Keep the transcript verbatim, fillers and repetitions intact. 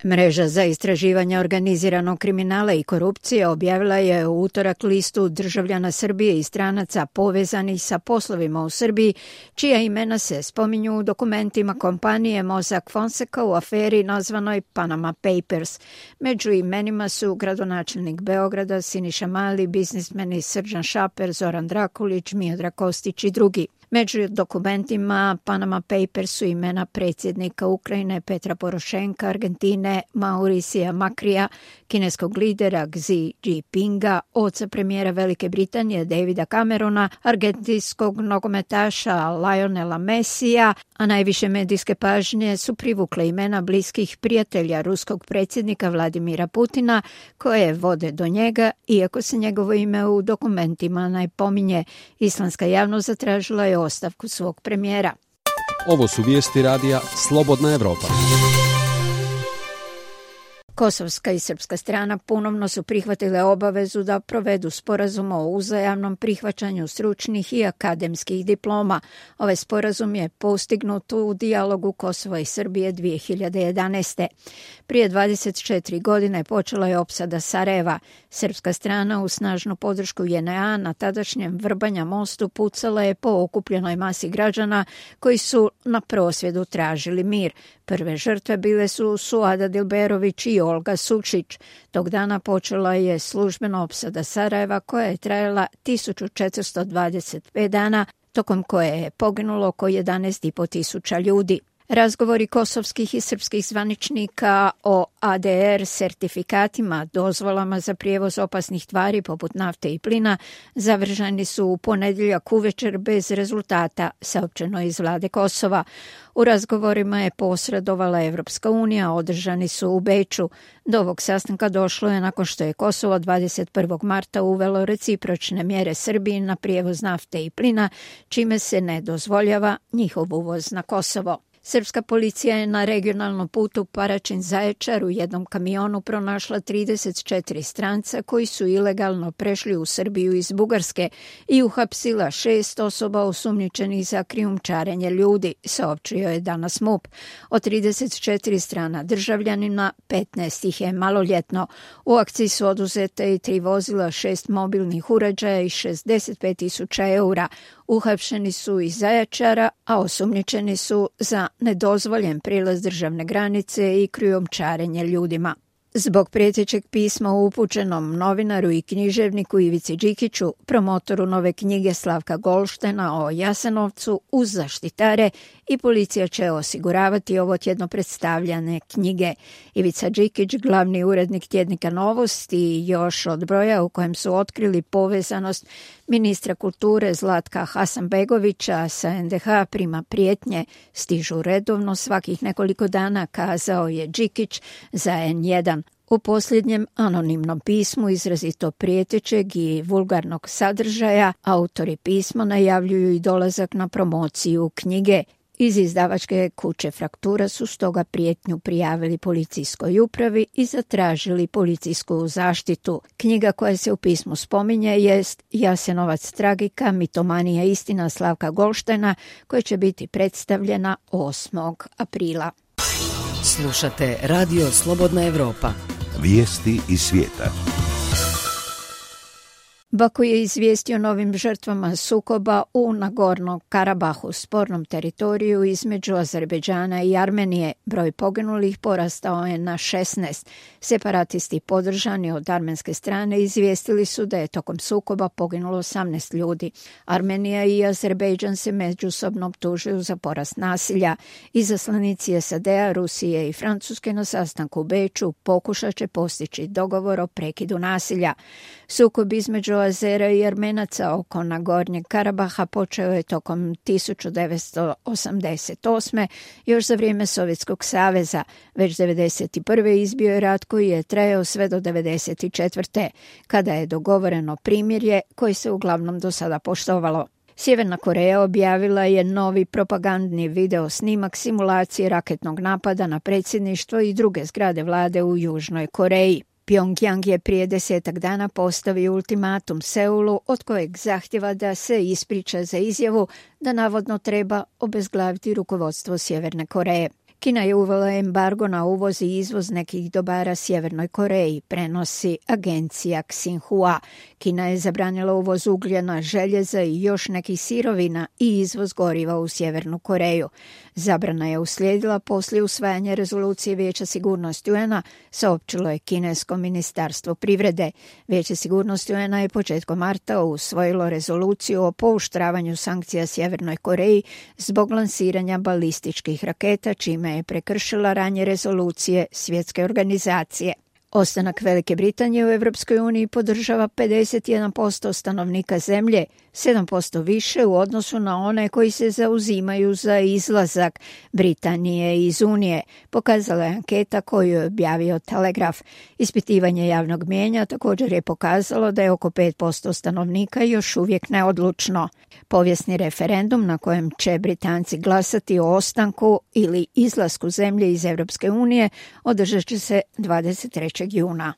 Mreža za istraživanje organiziranog kriminala i korupcije objavila je u utorak listu državljana Srbije i stranaca povezanih sa poslovima u Srbiji, čija imena se spominju u dokumentima kompanije Mossack Fonseca u aferi nazvanoj Panama Papers. Među imenima su gradonačelnik Beograda Siniša Mali, biznismeni Srđan Šaper, Zoran Drakulić, Miodrag Kostić i drugi. Među dokumentima Panama Papers su imena predsjednika Ukrajine Petra Porošenka, Argentine Mauricija Makrija, kineskog lidera Xi Jinpinga, oca premijera Velike Britanije Davida Camerona, argentinskog nogometaša Lionela Messija, a najviše medijske pažnje su privukle imena bliskih prijatelja ruskog predsjednika Vladimira Putina, koje vode do njega, iako se njegovo ime u dokumentima ne pominje. Islandska javnost zatražila je ostavku svog premijera. Ovo su vijesti radija Slobodna Evropa. Kosovska i srpska strana ponovno su prihvatile obavezu da provedu sporazum o uzajamnom prihvaćanju stručnih i akademskih diploma. Ovaj sporazum je postignut u dijalogu Kosova i Srbije dvije hiljade jedanaeste. Prije dvadeset četiri godine počela je opsada Sarajeva. Srpska strana u snažnu podršku J N A na tadašnjem Vrbanja mostu pucala je po okupljenoj masi građana koji su na prosvjedu tražili mir. Prve žrtve bile su Suada Dilberović i Olga Sučić. Tog dana počela je službena opsada Sarajeva koja je trajala tisuću četiristo dvadeset pet dana, tokom koje je poginulo oko jedanaest i po tisuća ljudi. Razgovori kosovskih i srpskih zvaničnika o A D R sertifikatima, dozvolama za prijevoz opasnih tvari poput nafte i plina, završeni su u ponedjeljak uvečer bez rezultata, saopćeno iz vlade Kosova. U razgovorima je posredovala Evropska unija, održani su u Beču. Do ovog sastanka došlo je nakon što je Kosovo dvadeset prvog marta uvelo recipročne mjere Srbiji na prijevoz nafte i plina, čime se ne dozvoljava njihov uvoz na Kosovo. Srpska policija je na regionalnom putu Paraćin-Zaječar u jednom kamionu pronašla trideset četiri stranca koji su ilegalno prešli u Srbiju iz Bugarske i uhapsila šest osoba osumnjičenih za krijumčarenje ljudi, saopćio je danas M U P. Od trideset četiri strana državljanina, petnaest ih je maloljetno. U akciji su oduzete i tri vozila, šest mobilnih uređaja i šezdeset pet tisuća eura. Uhapšeni su iz Zaječara, a osumnjičeni su za nedozvoljen prilaz državne granice i krijumčarenje ljudima. Zbog prijetećeg pisma upućenom novinaru i književniku Ivici Đikiću, promotoru nove knjige Slavka Golštena o Jasenovcu, uz zaštitare i policija će osiguravati ovo tjedno predstavljane knjige. Ivica Đikić, glavni urednik tjednika Novosti, još od broja u kojem su otkrili povezanost ministra kulture Zlatka Hasanbegovića sa N D H prima prijetnje, stižu redovno svakih nekoliko dana, kazao je Đikić za N jedan. U posljednjem anonimnom pismu izrazito prijetećeg i vulgarnog sadržaja autori pisma najavljuju i dolazak na promociju knjige. Iz izdavačke kuće Fraktura su stoga prijetnju prijavili policijskoj upravi i zatražili policijsku zaštitu. Knjiga koja se u pismu spominje jest Jasenovac tragika, mitomanija istina Slavka Golštena, koja će biti predstavljena osmog aprila. Slušate Radio Slobodna Evropa. Vijesti iz svijeta. Baku je izvijestio novim žrtvama sukoba u Nagornom Karabahu, spornom teritoriju između Azerbejdžana i Armenije. Broj poginulih porastao je na šesnaest. Separatisti podržani od armenske strane izvijestili su da je tokom sukoba poginulo osamnaest ljudi. Armenija i Azerbejdžan se međusobno optužuju za porast nasilja. Izaslanici S A D-a, Rusije i Francuske na sastanku u Beču pokušat će postići dogovor o prekidu nasilja. Sukob između Azera i Armenaca oko Nagornjeg Karabaha počeo je tokom tisuću devetsto osamdeset osme. još za vrijeme Sovjetskog saveza. Već devedeset prve izbio je rat koji je trajao sve do devedeset četvrte. kada je dogovoreno primirje koje se uglavnom do sada poštovalo. Sjeverna Koreja objavila je novi propagandni video snimak simulacije raketnog napada na predsjedništvo i druge zgrade vlade u Južnoj Koreji. Pjongjang je prije desetak dana postavio ultimatum Seulu od kojeg zahtjeva da se ispriča za izjavu da navodno treba obezglaviti rukovodstvo Sjeverne Koreje. Kina je uvela embargo na uvoz i izvoz nekih dobara Sjevernoj Koreji, prenosi agencija Xinhua. Kina je zabranila uvoz ugljena, željeza i još nekih sirovina i izvoz goriva u Sjevernu Koreju. Zabrana je uslijedila poslije usvajanja rezolucije Vijeća sigurnosti U N-a, saopćilo je kinesko ministarstvo privrede. Vijeće sigurnosti U N-a je početkom marta usvojilo rezoluciju o pooštravanju sankcija Sjevernoj Koreji zbog lansiranja balističkih raketa, čime je prekršila ranije rezolucije svjetske organizacije. Ostanak Velike Britanije u Europskoj uniji podržava pedeset jedan posto stanovnika zemlje, sedam posto više u odnosu na one koji se zauzimaju za izlazak Britanije iz Unije, pokazala je anketa koju je objavio Telegraf. Ispitivanje javnog mijenja također je pokazalo da je oko pet posto stanovnika još uvijek neodlučno. Povijesni referendum na kojem će Britanci glasati o ostanku ili izlasku zemlje iz Europske unije održat će se dvadeset trećeg juna.